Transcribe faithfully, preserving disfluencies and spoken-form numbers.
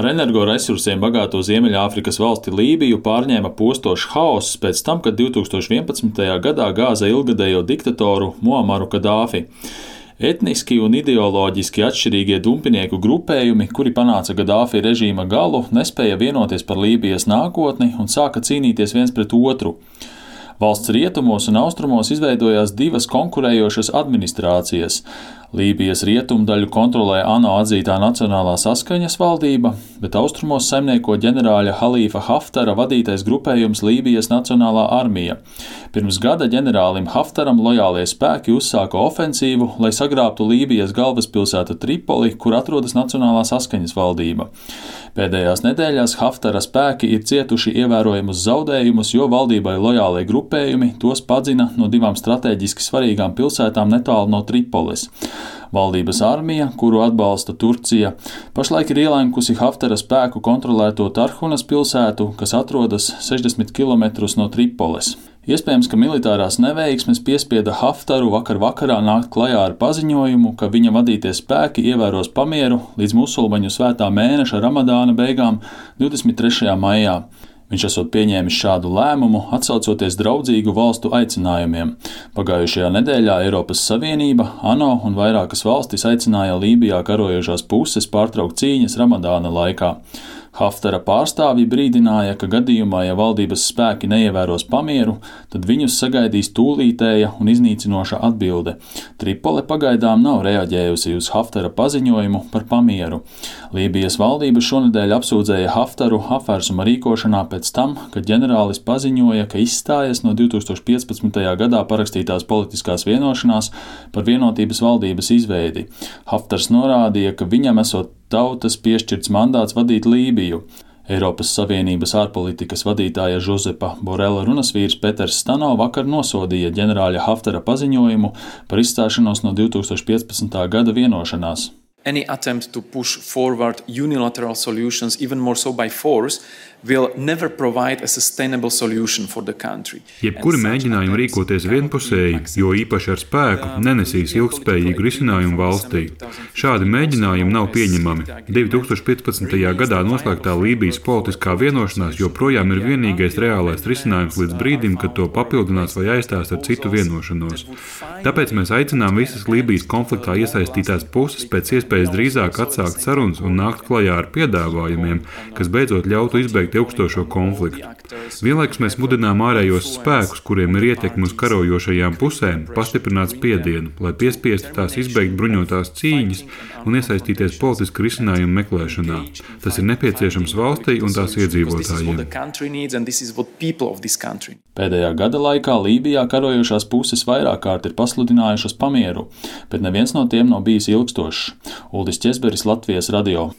Ar energoresursiem bagāto Ziemeļāfrikas valsti Lībiju pārņēma postošs haoss pēc tam, kad divtūkstoš vienpadsmitajā gadā gāza ilgadējo diktatoru Muamaru Kadāfi. Etniski un ideoloģiski atšķirīgie dumpinieku grupējumi, kuri panāca Gadāfi režīma galu, nespēja vienoties par Lībijas nākotni un sāka cīnīties viens pret otru. Valsts rietumos un austrumos izveidojās divas konkurējošas administrācijas. Lībijas rietumdaļu kontrolē ANO atzītā Nacionālā saskaņas valdība, bet austrumos saimnieko ģenerāļa Halīfa Haftara vadītais grupējums Lībijas Nacionālā armija. Pirms gada ģenerālim Haftaram lojālie spēki uzsāka ofensīvu, lai sagrābtu Lībijas galvaspilsētu Tripoli, kur atrodas Nacionālā saskaņas valdība. Pēdējās nedēļās Haftara spēki ir cietuši ievērojamus zaudējumus, jo valdībai lojālie grupējumi tos padzina no divām strateģiski svarīgām pilsētām netālu no Tripolis. Valdības armija, kuru atbalsta Turcija, pašlaik ir ielenkusi Haftara spēku kontrolēto Tarhunas pilsētu, kas atrodas sešdesmit kilometrus no Tripoles. Iespējams, ka militārās neveiksmes piespieda Haftaru vakar vakarā nākt klajā ar paziņojumu, ka viņa vadītie spēki ievēros pamieru līdz musulmaņu svētā mēneša Ramadāna beigām divdesmit trešajā maijā. Viņš esot pieņēmis šādu lēmumu, atsaucoties draudzīgu valstu aicinājumiem. Pagājušajā nedēļā Eiropas Savienība, ANO un vairākas valstis aicināja Lībijā karojošās puses pārtraukt cīņas Ramadāna laikā. Haftara pārstāvji brīdināja, ka gadījumā, ja valdības spēki neievēros pamieru, tad viņus sagaidīs tūlītēja un iznīcinoša atbilde. Tripole pagaidām nav reaģējusi uz Haftara paziņojumu par pamieru. Lībijas valdība šonedēļ apsūdzēja Haftaru apvērsuma rīkošanā pēc tam, kad ģenerālis paziņoja, ka izstājas no divtūkstoš piecpadsmitajā gadā parakstītās politiskās vienošanās par vienotības valdības izveidi. Haftars norādīja, ka viņam esot tautas piešķirts mandāts vadīt Lībiju. Eiropas Savienības ārpolitikas vadītāja Žozepa Borela runasvīrs Peters Stano vakar nosodīja ģenerāļa Haftara paziņojumu par izstāšanos no divtūkstoš piecpadsmitā gada vienošanās. Any attempt to push forward unilateral solutions, even more so by force, will never provide a sustainable solution for the country. Jebkuri mēģinājumi rīkoties vienpusēji, jo īpaši ar spēku, nenesīs ilgspējīgu risinājumu valstī. Šādi mēģinājumi nav pieņemami. divtūkstoš piecpadsmitajā gadā noslēgtā Lībijas politiskā vienošanās joprojām ir vienīgais reālais risinājums līdz brīdim, kad to papildinās vai aizstās ar citu vienošanos. Tāpēc mēs aicinām visas Lībijas konfliktā iesaistītās puses pēc iespējas drīzāk atsākt sarunas un nākt klajā ar piedāvājumiem, kas beidzot ļautu izbeigt ilgstošo konfliktu. Vienlaikus mēs mudinām ārējos spēkus, kuriem ir ietekme uz karojošajām pusēm, pastiprināt spiedienu, lai piespiestu tās izbeigt bruņotās cīņas un iesaistīties politisku risinājumu meklēšanā. Tas ir nepieciešams valstī un tās iedzīvotājiem. Pēdējā gada laikā Lībijā karojošās puses vairāk kārt ir pasludinājušas pamieru, bet neviens no tiem nav bijis ilgstošs. Uldis Ķesberis, Latvijas radio.